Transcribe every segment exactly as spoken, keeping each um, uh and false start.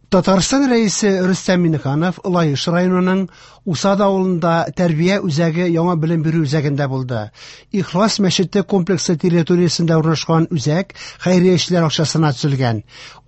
Татарстан Рәисе Рөстәм Миңнеханов Лаеш районының Усад авылында тәрбия үзәге яңа белем бирү үзәгендә булды. Ихлас мәчете комплексы территориясендә урнашкан үзәк хәйриячеләр акчасына төзелгән.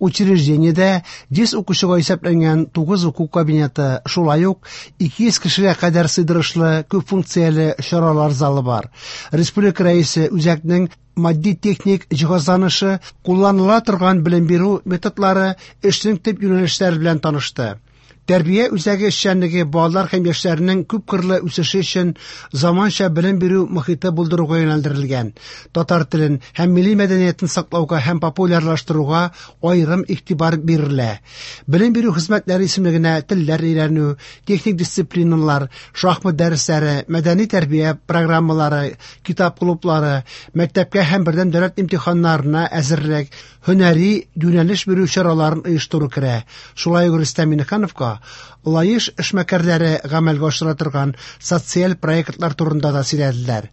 Учреждениедә йөз укучыга исәпләнгән тугыз уку кабинеты, шулай ук ике йөз кешегә кадәр сыйдырышлы күп функцияле чаралар залы бар. Республика Рәисе үзәкнең матди-техник җиһазланышы, кулланыла торган белем бирү методлары, эшнең төп юнәлешләре белән танышты. Тәрбия үзәге эшчәнлеге балалар һәм яшьләрнең күпкырлы үсеше өчен заманча белем бирү мохите булдыруга юнәлдерелгән. Татар телен һәм милли мәдәниятен саклауга һәм популярлаштыруга аерым игътибар бирелә. Белем бирү хезмәтләре исемлегенә телләр өйрәнү, техник дисциплиналар, шахмат дәресләре, мәдәни тәрбия программалары, китап клублары, мәктәпкә һәм бердәм дәүләт имтиханнарына әзерлек, һөнәри юнәлеш бирү чараларын оештыру керә. Шулай ук Рөстәм Миңнехановка Лаеш эшмәкәрләре гамәлгә ашыра торган социаль проектлар турында да сөйләделәр.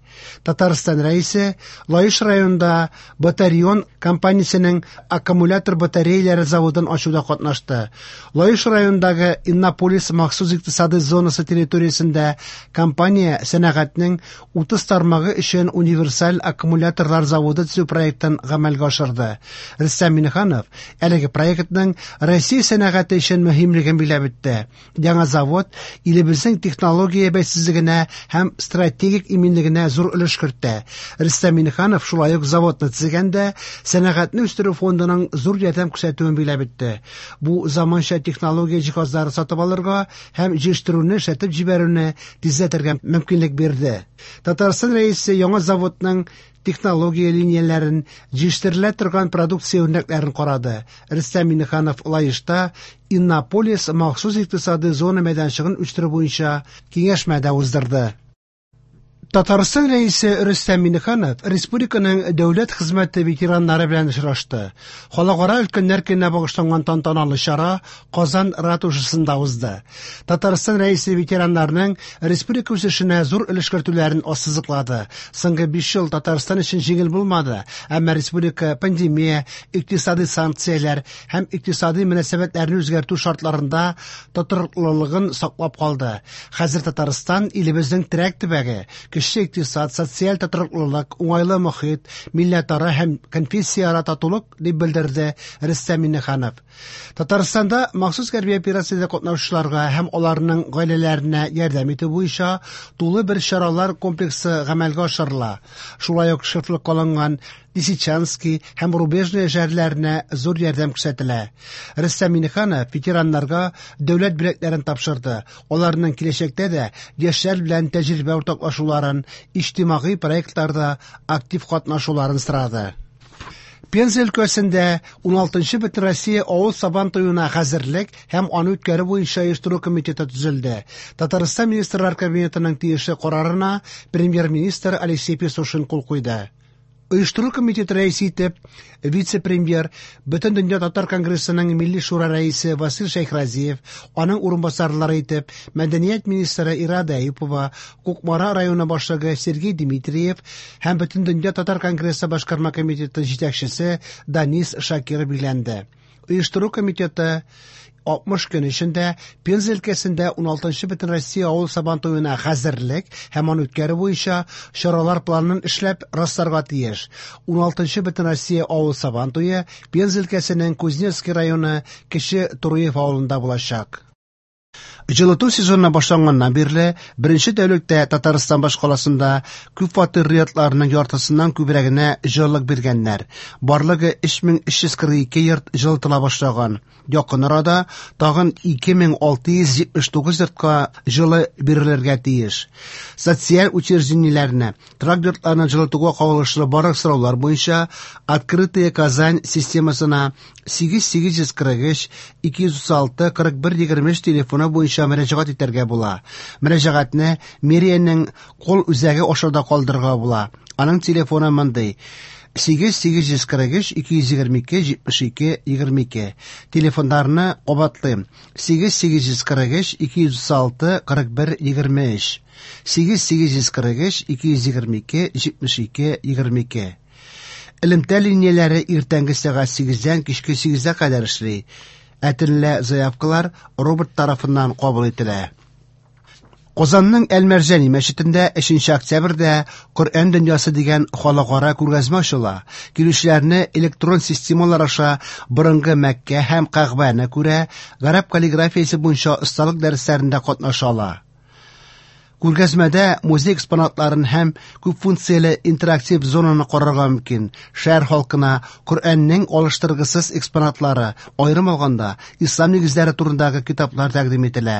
Татарстан Рәисе Лаеш районында Батарион компаниясенең аккумулятор батареялары заводын ачуда катнашты. Лаеш районындагы Иннополис махсус икътисади зонасы территориясендә компания сәнәгатьнең утыз тармагы өчен универсаль аккумуляторлар заводы төзү проектын гамәлгә ашырды. Рөстәм Миңнеханов әлеге проектның Россия сәнәгате өчен мөһимлеген билгеләп үтте. Яңа завод илебезнең технология бәйсезлегенә һәм стратегик иминлегенә зур өлеш кертә. Рөстәм Миңнеханов шулай ук заводны төзегәндә сәнәгатьне үстерү фондының зур ярдәм күрсәтүен билгеләп үтте. Бу заманча технология җиһазлары сатып алырга һәм җитештерүне эшләтеп җибәрүне тизләтергә мөмкинлек бирде. Татарстан Рәисе яңа заводның технология линияләрен, җитештерелә торган продукция үрнәкләрен карады. Рөстәм Миңнеханов Лаешта Иннополис махсус икътисади зона мәйданчыгын үстерү буенча киңәшмә дә уздырды. Татарстан Рәисе Рөстәм Миңнеханов республиканың дәүләт хезмәте ветераннары белән очрашты. Халыкара өлкәннәр көненә багышланган тантаналы чара Казан ратушасында узды. Татарстан Рәисе ветераннарның республика үсешенә зур өлеш кертүләрен ассызыклады. Соңгы биш ел Татарстан өчен җиңел булмады, әмма республика пандемия, икътисади санкцияләр һәм икътисади мөнәсәбәтләрне үзгәртү шартларында тотрыклылыгын саклап калды. Хәзер Татарстан илебезнең терәк төбәге, көчле икътисад, социаль тотрыклылык, уңайлы мохит, милләтара һәм конфессияара татулык дип белдерде Рөстәм Миңнеханов. Татарстанда махсус хәрби операциядә катнашучыларга һәм аларның гаиләләренә ярдәм итү буенча тулы бер чаралар комплексы гамәлгә ашырыла. Шулай ук шефлык алынган Лисичанский һәм Рубежное шәһәрләренә зур ярдәм күрсәтелә. Рөстәм Миңнеханов ветераннарга дәүләт бүләкләрен тапшырды. Аларның киләчәктә дә яшьләр белән тәҗрибә уртаклашуларын, иҗтимагый проектларда актив катнашуларын сорады. Пенза өлкәсендә уналтынчы Бөтенроссия авыл сабан туена хәзерлек һәм аны үткәрү буенча оештыру комитеты төзелде. Татарстан Министрлар Кабинетының тиешле карарына премьер-министр Алексей Песошин кул куйды. Оештыру комитеты рәисе итеп вице-премьер, Бөтендөнья татар конгрессының Милли шура рәисе Васил Шәйхразиев, аның урынбасарлары итеп мәдәният министры Ирада Әюпова, Кукмара районы башлыгы Сергей Дмитриев һәм Бөтендөнья татар конгрессы башкарма комитеты җитәкчесе Данис Шакиров билгеләнде. Оештыру комитеты алтмыш көн эчендә Пенза өлкәсендә уналтынчы Бөтенроссия авыл сабан туена хәзерлек һәм аны үткәрү буенча чаралар планын эшләп расларга тиеш. Уналтынчы Бөтенроссия авыл сабан туе Пенза өлкәсенең Кузнецкий районы Кече Туруев авылында булачак. Җылыту сезоны башланганнан бирле беренче тәүлектә Татарстан башкаласында күп фатирлы йортларның яртысыннан күбрәгенә җылылык биргәннәр. Барлыгы өч мең өч йөз кырык ике йорт җылытыла башлаган. Якын арада тагын ике мең алты йөз җитмеш тугыз йортка җылы бирелергә тиеш. Социаль учреждениеләрне, торак йортларны җылытуга кагылышлы барлык сораулар буенча Открытая Казань системасына сигез сигез йөз кырык өч, ике йөз утыз алты, кырык бер егерме өч телефоны буенча мөрәҗәгать итәргә була. Мөрәҗәгатьне мэриянең кол үзәге аша да калдырырга була. Аның телефоны мондый: сигез сигез йөз кырык өч, ике йөз егерме ике, җитмеш ике, егерме ике. Телефоннарны кабатлыйм: сигез сигез йөз кырык өч, ике йөз утыз алты, кырык бер, егерме өч. Сигез сигез йөз кырык өч, ике йөз егерме ике, җитмеш ике, егерме ике. Элемтә линияләре иртәнге сәгать сигездән кичке сигезгә кадәр эшли. Ә төнлә заявкалар робот тарафыннан кабул ителә. Казанның Әл-Мәрҗани мәчетендә өченче октябрьдә Коръән дөньясы дигән халыкара күргәзмә ачыла. Килүчеләрне электрон системалар аша борынгы Мәккә һәм Кәгъбәне күрә, гарәп каллиграфиясе буенча осталык дәресләрендә катнаша ала. Күргәзмәдә музей экспонатларын һәм күпфункцияле интерактив зонаны карарга мөмкин. Шәһәр халкына Коръәннең алыштыргысыз экспонатлары, аерым алганда, ислам нигезләре турындагы китаплар тәкъдим ителә.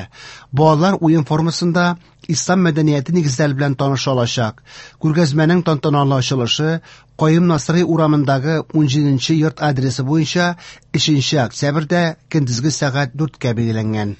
Балалар уен формасында ислам мәдәнияте нигезләре белән таныша алачак. Күргәзмәнең тантаналы ачылышы Каюм Насыйри урамындагы унҗиденче йорт адресы буенча өченче октябрьдә көндезге сәгать дүрткә билгеләнгән.